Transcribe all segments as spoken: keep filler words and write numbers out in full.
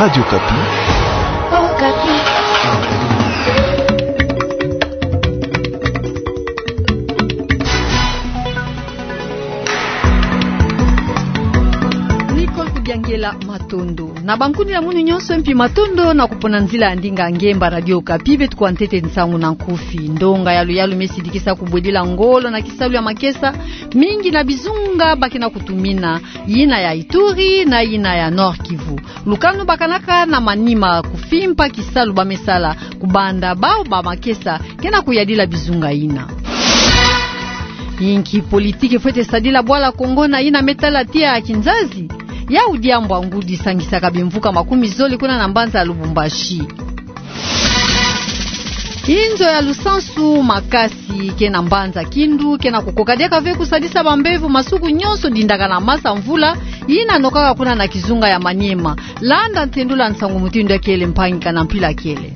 Radio Okapi. Okapi. Nicole Kudiangela, matondo. Na bankundi na munu nyonso mpi matondo na kupona nzila ya ndinga ngemba Radio Okapi, beto kuwa ntete nsangu na nkufi. Ndonga ya luyalu me sidikisa kubwedila ngolo na kisalu ya makesa mingi na bizunga ba ke na kutumina, yina ya Ituri na yina ya Nord-Kivu. Lukanu bakanaka na Maniema kufimpa kisalu ba me sala kubanda bau ba makesa ke na kuyadila bizunga yina. Inki politiki fwete sadila bwala Kongo na yina me tala tiya ya kinzazi? Yau diambu ya ngudi sangisaka bimvuka makumi zole kuna na mbanza ya Lubumbashi. Inzo ya lusansu makasi ke na mbanza Kindu ke na kukoka diaka ve kusadisa bambevo masuku nyonso dindaka na masa mvula yina nokaka kuna na kizunga ya Maniema. Landa ntendula nsangu mutindu ya kele mpangi ka na mpila kele.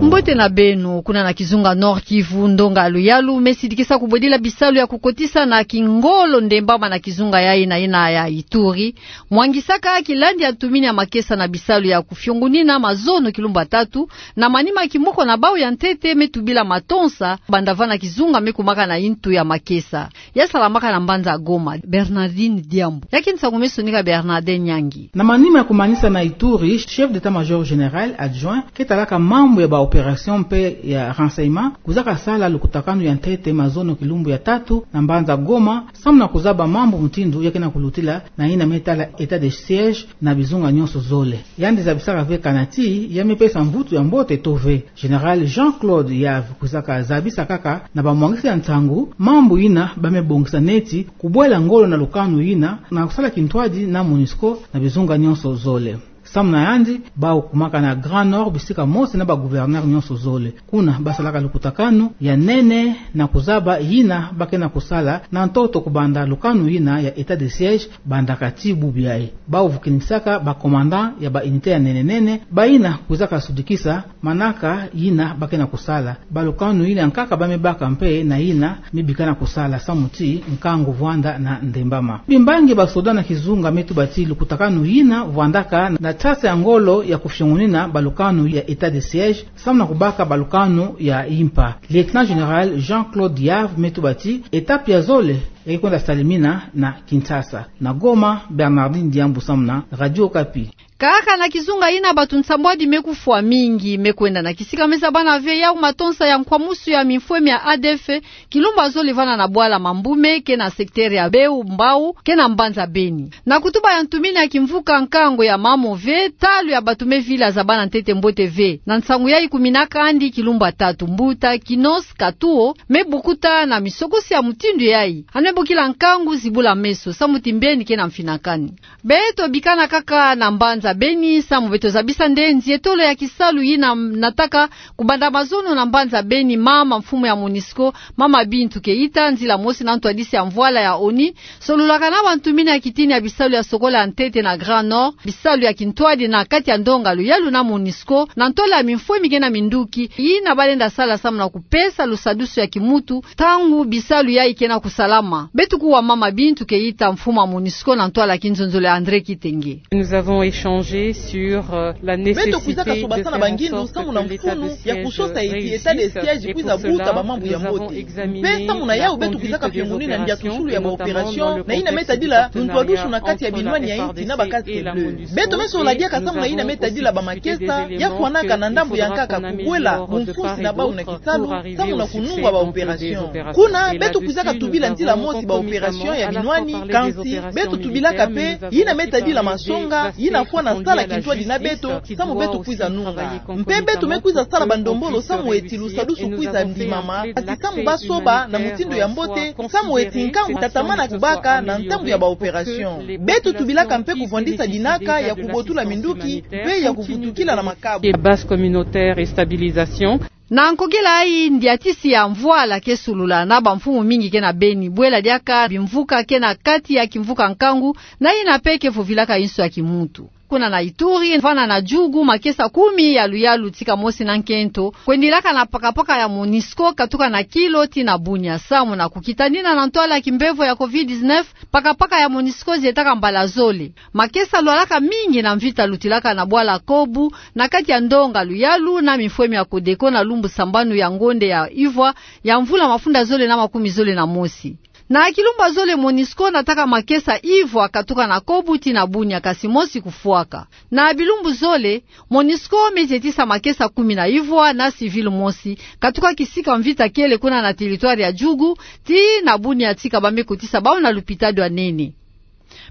Mbote na beno. Kuna na kizunga Nord-Kivu, ndonga ya luyalu me sidikisa kubwedila bisalu ya kukotisa na kingolo ndembama na kizunga yayi na yina ya Ituri, mwangisaka kilandi ya ntumini ya makesa na bisalu ya kufiongunina mazono kilumbu ya tatu, na manima kimoko na bau ya ntete me tubila matonsa, banda va na kizunga me kumaka na intu ya makesa ya salamaka na mbanza Goma. Bernardine Diambu. Ya ke nsangu me sonika Bernardin Nyangi. Na manima ya kumanisa na Ituri, chef d'état-major général adjoint ke talaka mambu ya ba opération mpe ya renseignement kwizaka sala lukutakanu ya ntete mazono kilumbu ya tatu na mbanza Goma, samu na kuzaba mambu mutindu ya ke na kulutila na yina me tala état de siège na bizunga nyonso zole. Yandi zabisaka ve kana ti ya me pesa mvutu ya mbote to ve. Général Jean-Claude Yave kwizaka zabisa kaka na bamwangisi ya nsangu mambu yina ba me bongisa neti kubwela ngolo na lukanu yina na kusala kintwadi na MONUSCO na bizunga nyonso zole. Samu na yandi, bau kumaka na Grand Nord bisika mosi na ba gouverneur nyonso zole. Kuna ba salaka lukutakanu ya nene na kuzaba yina ba ke na kusala na ntoto kubanda lukanu yina ya état de siège bandaka ti bubu yayi. Bau vukinisaka ba commandant ya ba unité ya nene nene, bayina kwizaka sudikisa manaka yina ba ke na kusala. Ba lukanu yina nkaka ba me baka mpe na yina me bika na kusala samu ti nkangu vwanda na ndembama. Bimbangi ba soda na kizunga me tuba ti lukutakanu yina vwandaka na tasa ya ngolo ya kufiongunina ba lukanu ya état de siège samu na kubaka ba lukanu ya impa. Lieutenant général Jean-Claude Yave me tuba ti étape ya zole ya ke kwenda salimina na Kinshasa. Na Goma, Bernardine Diambu samu na Radio Okapi. Kaka na kizunga yina, batu nsambwadi me kufwa, mingi me kwenda na kisika me zabana ve yau matonsa ya nkwamusu ya mimfwemi ya A D F, kilumbu ya zole vana na bwala Mambume ke na secteur ya Beu Mbau ke na mbanza Beni. Na kutuba ya ntumini ya kimvuka nkangu ya mamo ve, talu ya batu me vila zabana ntete mbote ve. Na nsangu yayi kumina kandi kilumbu ya tatu, mbuta Kinos Katuo me bukuta na misokosi ya mutindu yayi. Ane bokila nkangu zibula meso, samu ti mbeni ke na mfinakani. Beto bikana kaka na mbanza Beni, samu beto zabisa nde nzietolo ya kisalu yina nataka kubanda mazono na mbanza Beni, mama mfumu ya MONUSCO, mama Bintou Keita, nzila mosi na ntwadisi ya mvwala ya ONU, sololaka na bantumini ya kitini ya bisalu ya sokola ya ntete na Grand Nord, bisalu ya kintwadi na kati ya ndonga luyalu na MONUSCO, na ntwala ya mimfwemi ke na minduki yina ba lenda sala samu na kupesa lusadusu ya kimutu, ntangu bisalu yayi ke na kusalama. Beto kuwa mama Bintou Keita, mfumu ya MONUSCO, na ntwala ya kinzonzolo ya André Kitenge. Nous avons échangé sur, euh, la nécessité de faire en sorte que l'état de siège réussisse, et pour cela, nous avons examiné la conduite des opérations, et notamment le contenu des opérations, et pour cela, nous avons examiné la conduite des opérations, et notamment le contexte de la guerre. Beto kwizaka tubasana bangindu samu na mfunu ya kusosa eti état de siège kwiza buta bamambu ya mbote. Mpe samu na yau beto kwizaka fiongunina ndia nsulu ya ba opération na yina me tadila luntwadusu na kati ya binwani ya insi na ba casques bleus. Beto me sola diaka samu na yina me tadila bamakesa ya fwanaka na ndambu ya nkaka kukwela bumfusi na bau na kisalu, samu na kunungwa ba opération. Kuna, beto kwizaka tubila nzila mosi ba opération ya binwani, kansi beto tubilaka mpe yina me tadila masonga yina fwana sala kintwadi na beto, samu beto kwiza nunga. Mpe beto me kwiza sala bandombolo samu eti lusadusu kwiza ndimama, ati samu ba soba na mutindu ya mbote, samu eti nkangu tatamana kubaka na ntangu ya ba opération. Beto tubilaka mpe kuvwandisa dinaka ya kubotula minduki mpe ya kuvutukila na makabu. Et base communautaire et stabilisation. Na nkokila yayi, ndiatisi ya mvwala ke sulula na bamfumu mingi ke na Beni, bwela diaka bimvuka ke na kati ya kimvuka nkangu, na yina mpe ke vovilaka inso ya kimutu. kuna na Ituri, vana na Djugu, makesa kumi ya luyalu tika mosi na nkento kwendilaka na pakapaka ya MONUSCO katuka na kilo tii na Bunia, samu na kukitanina na ntwala ya kimbevo ya covid dix-neuf. Pakapaka ya MONUSCO zietaka mbala zole. Makesa lwalaka mingi na mvita lutilaka na bwala Kobu, na kati ya ndonga luyalu na mifwemi ya Codeco na lumbu sambanu ya ngonde ya ivwa ya mvula mafunda zole na makumi zole na mosi. Na kilumbu ya zole MONUSCO nataka makesa ivwa katuka na Kobu tii na Bunia, kasi mosi kufwaka. Na bilumbu zole, MONUSCO me zietisa makesa kumi na ivwa na civil mosi katuka kisika mvita kiele kuna na territoire ya Djugu tii na Bunia tika ba me kotisa bau na lupitalu ya nene.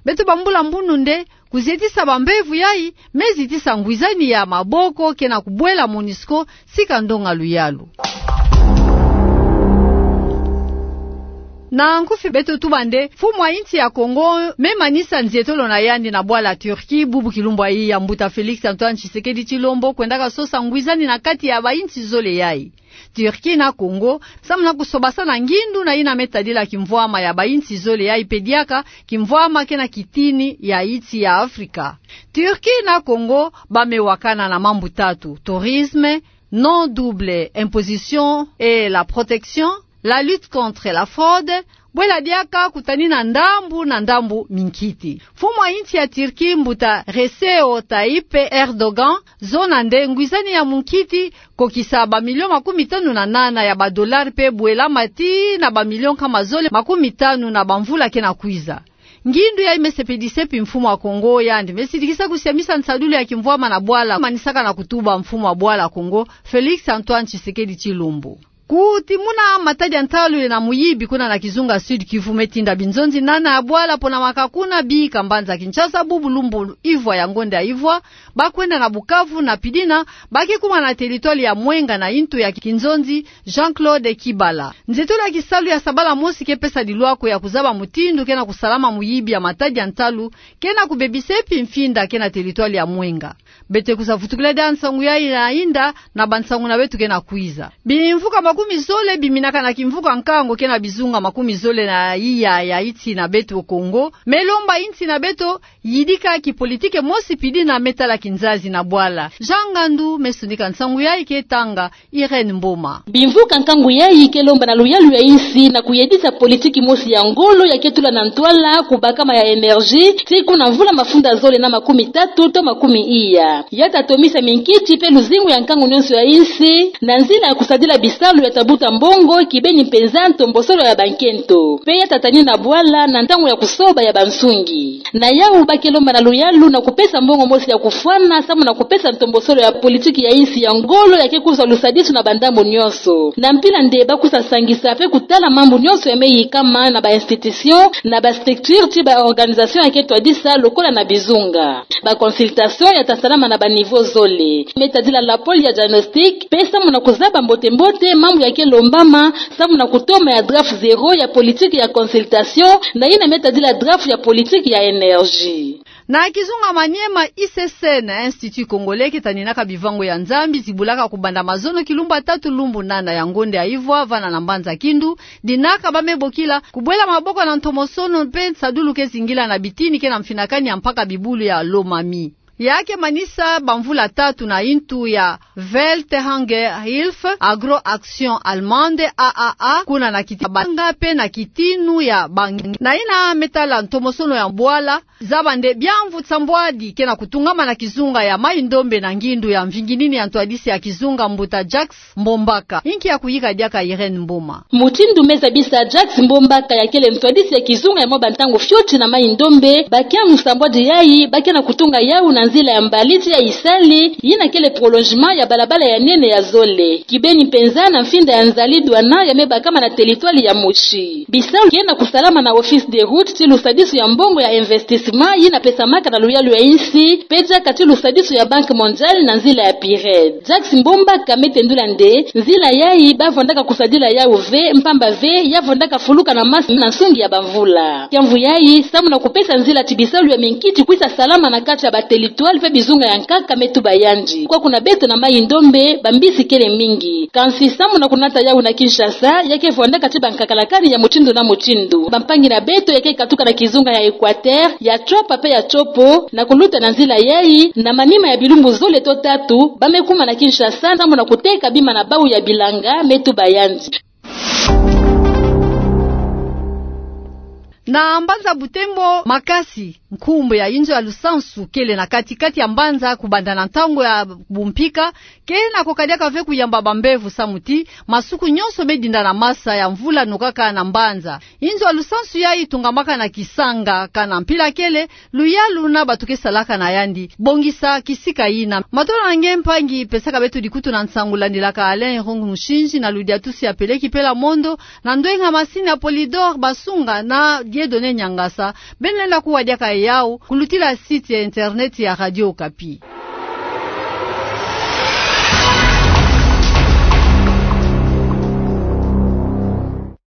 Beto bambula mbunu nde, kuzietisa bambevo yayi me zitisa ngwizani ya maboko ke na kubwela MONUSCO sika ndonga luyalu. Na nkufi beto tuba nde, mfumu wa insi ya Congo me manisa nzietolo na yandi na bwala Turquie bubu kilumbu yayi, ya mbuta Félix Antoine Tshisekedi Tshilombo kwendaka sosa ngwizani na kati ya bainsi zole yayi, Turquie na Congo, samu na kusobasana ngindu na yina me tadila kimvwama ya bainsi zole yayi pe diaka kimvwama ke na kitini ya insi ya Afrika. Turquie na Congo ba me wakana na mambu tatu: tourisme, non double imposition et la protection, la lutte contre la fraude, bwela diaka kutanina ndambu na ndambu minkiti. Mfumu wa insi ya Turquie, mbuta Recep Tayyip Erdogan, zona nde ngwizani ya munkiti, kokisa bamilio makumi tanu na nana ya badolari pe bwelama tii na bamilio nkama zole makumi tanu na bamvula ke na kwiza. Ngindu yayi me sepedisa mpi mfumu wa Congo, yandi me sidikisa kusiamisa nsadulu ya kimvwama na bwala, manisaka na kutuba mfumu wa bwala Congo, Félix Antoine Tshisekedi Tshilombo. Kutimuna matadi ya ntalu ye na muyibi kuna na kizunga Sud-Kivu me tinda binzonzi nana ya bwala ponamaka kuna bika mbanza Kinshasa bubu lumbu ivwa ya ngonde ya ivwa, ba kwenda na Bukavu na pidina, ba ke kuma na territoire ya Mwenga na intu ya kinzonzi Jean-Claude Kibala. Nzietolo ya kisalu ya sabala mosi ke pesa dilwako ya kuzaba mutindu ke na kusalama muyibi ya matadi ya ntalu ke na kubebisa mpi mfinda ke na territoire ya Mwenga. Beto kwiza vutukila diaka nsangu yayi na inda na bansangu na beto ke na kwiza. Bimvuka makumi zole biminaka na kimvuka nkango ke na bizunga makumi zole na iya ya insi na beto Congo me lomba insi na beto yidika kipolitike mosi pidina me tala kinzazi na bwala. Jean Ngandu me sonika nsangu yayi, ke tanga Irène Mboma. Bimvuka nkangu yayi ke lomba na luyalu ya insi na kuyedisa politiki mosi ya ngolo ya ke tula na ntwala kubakama ya énergie, tii kuna mvula mafunda zole na makumi tatu to makumi iya. Ya ta tomisa minkiti pe luzingu ya nkangu nyonso ya insi na nzila ya kusadila bisalu ya ta buta mbongo, kibeni mpenza ntombosolo ya bankento, pe ya ta tanina bwala na ntangu ya kusoba ya bansungi. Na yawu ba ke lomba na luyalu na kupesa mbongo mosi ya kufwana samu na kupesa ntombosolo ya politiki ya insi ya ngolo ya ke kuzwa lusadisu na bandambu nyonso. Na mpila nde ba kwiza sangisa pe kutala mambu nyonso ya me yikama na ba institution, na ba structure tii ba organisation ya ke twadisa lokola na bizunga. Ba consultation ya ta salama na ba niveau zole. Me tadila la pôle ya diagnostic, pe samu na kuzaba mbote mbote mambu ya ke lombama, samu na kutoma ya draft zéro ya politiki ya consultation, na yina me tadila draft ya politiki ya énergie. Na kizunga Maniema, I C C na Institut Congolais ke taninaka bivango ya Nzambi zibulaka kubanda mazono kilumbu ya tatu lumbu nana ya ngonde ya ivwa vana na mbanza Kindu, dinaka ba me bokila kubwela maboko na ntomosono pe nsadulu ke zingila na bitini ke na mfinakani ya mpaka bibulu ya Lomami. Ya ke manisa bamvula tatu na intu ya Welthungerhilfe, Agro Action Allemande, A A A, kuna na kiti banga pe na kitinu ya bangi. Na yina me tala ntomosono ya bwala, zaba nde biamvu nsambwadi ke na kutungama na kizunga ya Maï-Ndombe na ngindu ya mvingi nini ya ntwadisi ya kizunga mbuta Jacques Mbombaka. Inki ya kuyika diaka Irène Mboma. Mutindu me zabisa Jacques Mbombaka ya kele ntwadisi ya kizunga ya mwa bantangu fioti na Maï-Ndombe, bakiamvu nsambwadi yayi ba ke na kutunga yawu na nzila ya mbaliti ya Isali, yina kele prolongement ya balabala ya nene ya zole. Kibeni mpenza na mfinda ya nzali douane ya me bakama na territoire ya Moshi. Bisalu ke na kusalama na Office des Routes tii lusadisu ya mbongo ya investissement yina pesamaka na luyalu ya insi, pe diaka tii lusadisu ya Banque Mondiale na nzila ya PIRED. Jacques Mbombaka me tendula nde nzila yayi ba vondaka kusadila yawu ve, mpamba ve ya vondaka fuluka na masi na nsungi ya bamvula. Kiamvu yayi, samu na kupesa nzila tii bisalu ya minkiti kwiza salama na kati ya ba territoire Toile mpe bizunga ya nkaka me tuba yandi. Kwa kuna beto na Maï-Ndombe, bambisi kele mingi. Kansi sambu na kunata yawu na Kinshasa, ya ke vwandaka ti bankakalakani ya mutindu na mutindu. Bampangi na beto ya ke katuka na kizunga ya Equateur, ya Tshopa mpe ya Tshopo, na kuluta na nzila yayi, na manima ya bilumbu zole to tatu, ba me kuma na Kinshasa, sambu na kuteka bima na bawu ya bilanga, me tuba yandi. Na mbanza Butembo, makasi nkumbu ya inzo ya lusansu kele na kati-kati ya mbanza, kubanda na ntangu ya bumpika, ke na ko kadiaka ve kuyamba bambevo, samu ti masuku nyonso me dinda na masa ya mvula nokaka na mbanza. Inzo ya lusansu yayi tungamaka na kisanga, kana mpila kele, luyalu na bato ke salaka na yandi. Bongisa kisika yina. Matondo na nge mpangi pesaka beto dikutu na nsangu, landilaka Alain Irung Mushinji na ludiatusi ya Peleki Pela Mondo, na ndwenga masini ya Polydor Basunga na Dieudonné Niangasa. Beno lenda kuwa diaka yawu kulutila site ya internet ya Radio Okapi.